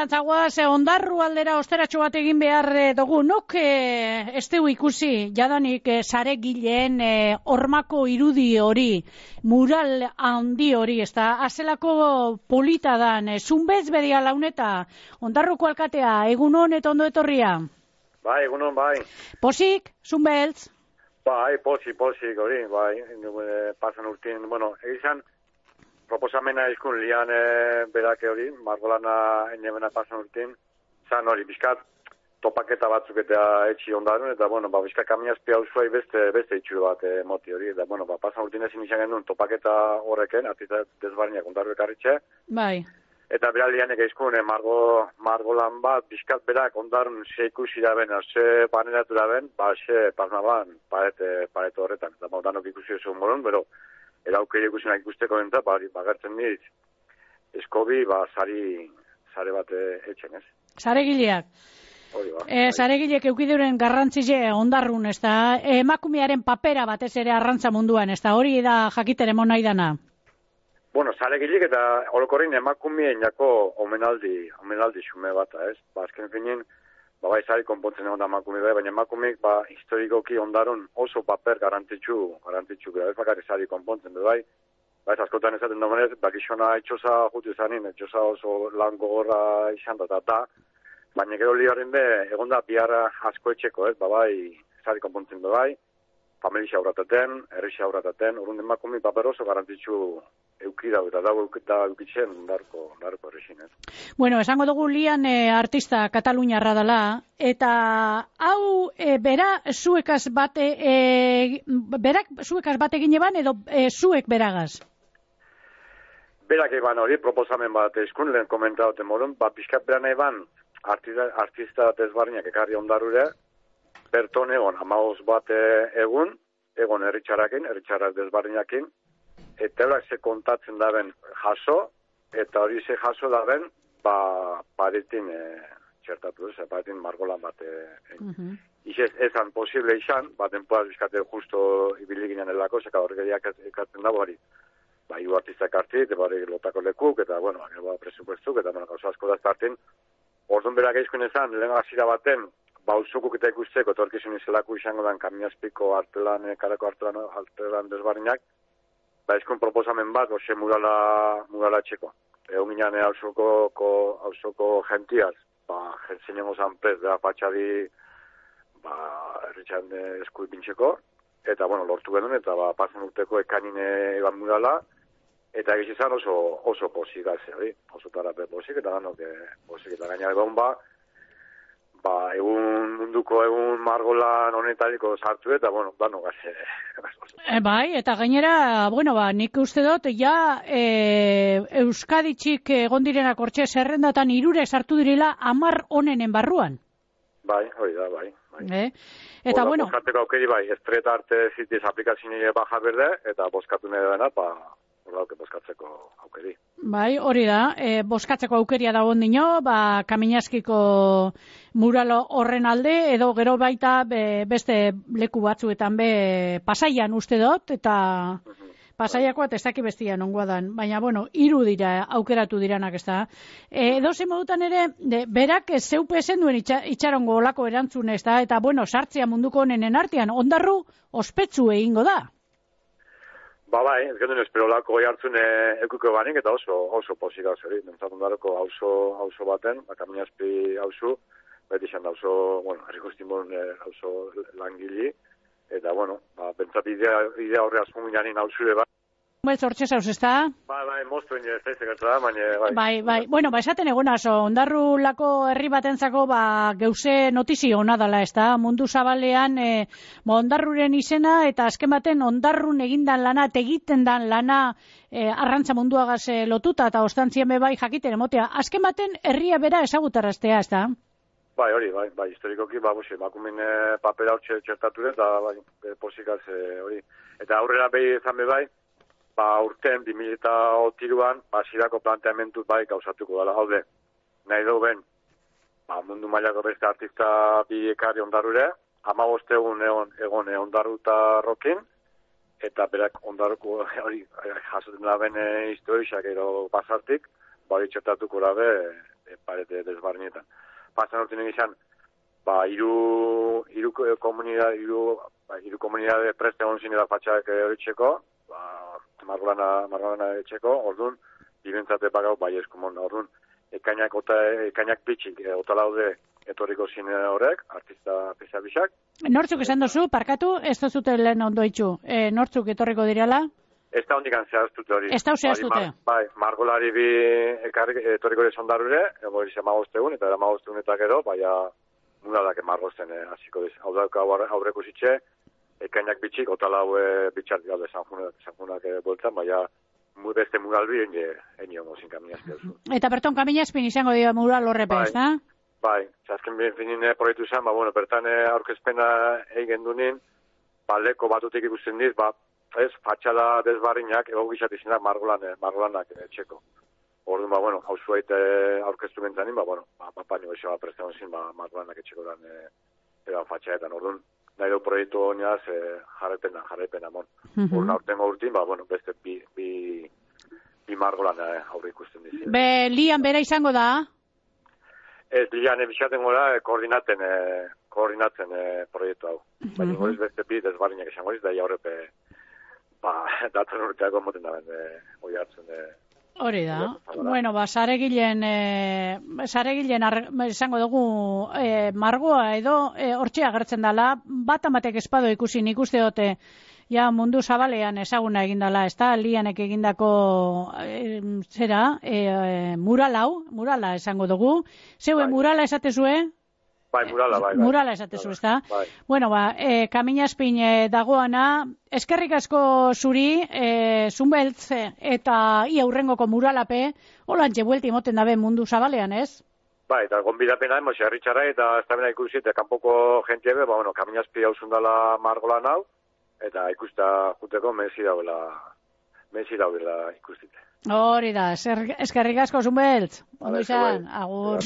alderantzagoa, ondarru aldera osteratxo bat egin behar dugu. Nok ez dugu ikusi, jadanik sare gileen hormako irudi hori, mural handi hori, ez da, azelako polita dan, zunbez bedia launeta, ondarruko alkatea, egunon eta ondo etorria? Bai, egunon, bai. Posik, zunbeltz? Bai, posik, hori, bai, pasan urtin, bueno, egizan, proposamena izkun lian berake hori, margolana enemena pasan urtin, zan hori, bizkat topaketa batzuk eta etxi ondarun, eta, bueno, bizkat kamiazpi hau zuai beste itxuru bat moti hori, eta, bueno, pasan urtin ezin izan genuen topaketa horreken, artista desbarriak ondarru ekarritxe. Bai. Eta bera lianek izkun, margolan bat, bizkat berak ondarun ze ikusi da ben, ze paneratu da ben, ze pasma ban, paret horretan, eta danok ikusi esu moron, bero, eraukeri ikusen ikusteko denta, bagertzen diz, eskobi, sare bat etxen, ez? Sare gileak. Hori ba. Sare gileak eukiduren garrantzile ondarrun, ez da, emakumearen papera batez ere arrantza munduan, ez da, hori da jakiteren nahi dana? Bueno, sare gileak eta orokorrin emakumeen jako omenaldi xume bat, ez? Azken finin, bai, sari konpontzen egon da emakume bai, baina emakumeek historikoki ondarun oso paper garantitxu gara, ez bakarri sari konpontzen du bai. Bai, askotan ezaten domenez, bakizona etxosa jutu izanin, etxosa oso lan gogorra izan da, baina gero liaren be, egon da biharra asko etxeko, ez, bai, sari konpontzen du bai, familia aurrataten, herri aurrataten, urrun emakume paper oso garantitxu eukidau eta da eukitzen darko errexin, ez? Bueno, esango dugu lian artista kataluniarra dela, eta hau berak zuekaz bat egin eban, edo zuek beragaz? Berak eban hori, proposamen bat eskun, lehen komentauten modun, pixkat beran eban artista desbarriak ekarri ondarrure, berton egon, amagoz bat egun herritxarrak desbarriakin, eta eurak ze kontatzen daben jaso, eta hori ze jaso daben, paretin txertatu, paretin margolan bat. Ezan posible izan, denpoaz bizkate justo ibili ginen elako, zeka horregeriak ekatzen dago hori. Hiru artistak hartit, lotako lekuk, eta, bueno, presupuestuk, eta, gauza asko da estartin. Orduan berak eizkun ezan, lehen hasira baten, bauzukuk eta ikusteko, torkizun izelako izango dan kamiazpiko karako artelan desbarriak, izkun proposamen bat, ose murala txeko. Egun ginen hausoko gentiaz, jentzinen zanpez, patxadi, erritxan esku ipintxeko, eta, lortu genuen, eta pasan urteko ekanin eban murala, eta egizizan oso posik gazze, oso tarape posik, eta ganok posik, eta gaina egon egun munduko egun margolan honetariko sartu eta, dano gazze. Bai, eta gainera, nik uste dut, Euskaditxik egon direnak hortxe zerrendatan irure sartu direla 10 onenen barruan. Bai, hori da, bai. Eta, boskateko aukeri, estreta arte zitiz aplikazioa baja berde, eta boskatu nahi dena, boskatzeko aukeri. Bai, hori da, boskatzeko aukeria dago dino, Kaminaskiko mural horren alde, edo gero baita beste leku batzuetan Pasaian uste dut, eta Pasaiakoa ez daki bestian ongoa dan, baina, hiru dira aukeratu diranak, ez da. Edoze modutan ere, berak zeupe esen duen itxarongo olako erantzun, ez da, eta, sartzea munduko honenen artean, ondarru ospetsu egingo da. Bai, ez gendun espero lako goi hartzun eukuko banik, eta oso posik hau zeri. Nentzat ondaroko hauzo baten, Kaminazpi hauzu, beti izan da herrikostimon hauzo langili, eta, bentsat idea horre azpun ginen hauzure bat. Hortxe zauz, ez da? Bai, moztuen ez da izekertza da, baina... Bai, esaten egonaz, ondarru lako herri batentzako geuse notizio hona dala, ez da? Mundu zabalean ondarruren izena, eta azken baten ondarrun egindan lana, egiten dan lana arrantza munduagaz lotuta, eta ostantzien bai jakiten emotea. Azken baten herria bera ezagutaraztea, ez da? Bai, hori, bai, historikoki, emakumen papera hor txertatu dut, eta posikaz hori. Eta aurrera behi ezan bai, urten 2003an, zirako planteamentu gauzatuko dela haude. Nahi dugu mundu mailako beste artista bi ekarri ondarrure, 15 egon ondarruta rokin, eta berak ondarruko hori jasoten da ben historiak edo pasartik, txertatuko da parete desbarnietan. Pasan urtinen izan, hiru komunidade preste egon zinela fatxak horitzeko, margolana etxeko, orduan, bibentzate bagau bai eskumon, orduan, ekainak bitxik, otalaude etorriko zine horrek, artista pisabisak. Nortzuk esan dozu, parkatu, ez dozute lehen ondo itxu, nortzuk etorriko direla? Ez da hondikan zehaztute hori. Ez da zehaztute? Margolari bi etorriko ere zondarure, ego izan magoztegun, eta magoztegun eta gero, mudadak margozten hasiko diz. Hau dauka aurreko zitxe, ekainak bitxik, otalau bitxartik alde sanjunak boltzan, beste muralbi eni hongo zin kaminazpia duzu. Eta berton kaminazpin izango dira mural horrepe, ez da? Bai, azken finine proiektu izan, bertan aurkezpena egin dunin, leko batutik ikusten diz, ez, fatxada desbarrinak, egogizat izanak margolanak etxeko. Orduan, hau zuait aurkeztu bentzanin, paino eixo presten zin, margolanak etxeko eran fatxaetan. Orduan, nahi du proiektu honiaz jarraipena mon. Orduan, aurtengo urtin, beste bi margolan aurre ikusten dizi. Lian bera izango da? Ez, lian ebixaten gora koordinatzen proiektu hau. Baina goriz beste bi desbarrinak esan goriz, da jaurrepe datzen urteako moten da hori hartzen. Hori da. Bueno, saregilen esango dugu margoa edo hortxe agertzen dela, bat amatek espado ikusi nik uste dute mundu zabalean ezaguna egindala, ez da, lianek egindako murala esango dugu. Zeue murala esatezue? Bai, murala. Murala esatezu, ez da? Bueno, Kaminazpin dagoana, eskerrik asko zuri, Zunbeltz eta ia hurrengoko muralape, holantxe buelti moten dabe mundu zabalean, ez? Bai, eta gonbidapena, herritxarra eta ez da bena ikusi, eta kanpoko jentiebe, Kaminazpi hau zundala margolan hau, eta ikusta juteko mezi daudela ikustite. Hori da, eskerrik asko Zunbeltz, ondo izan, agur.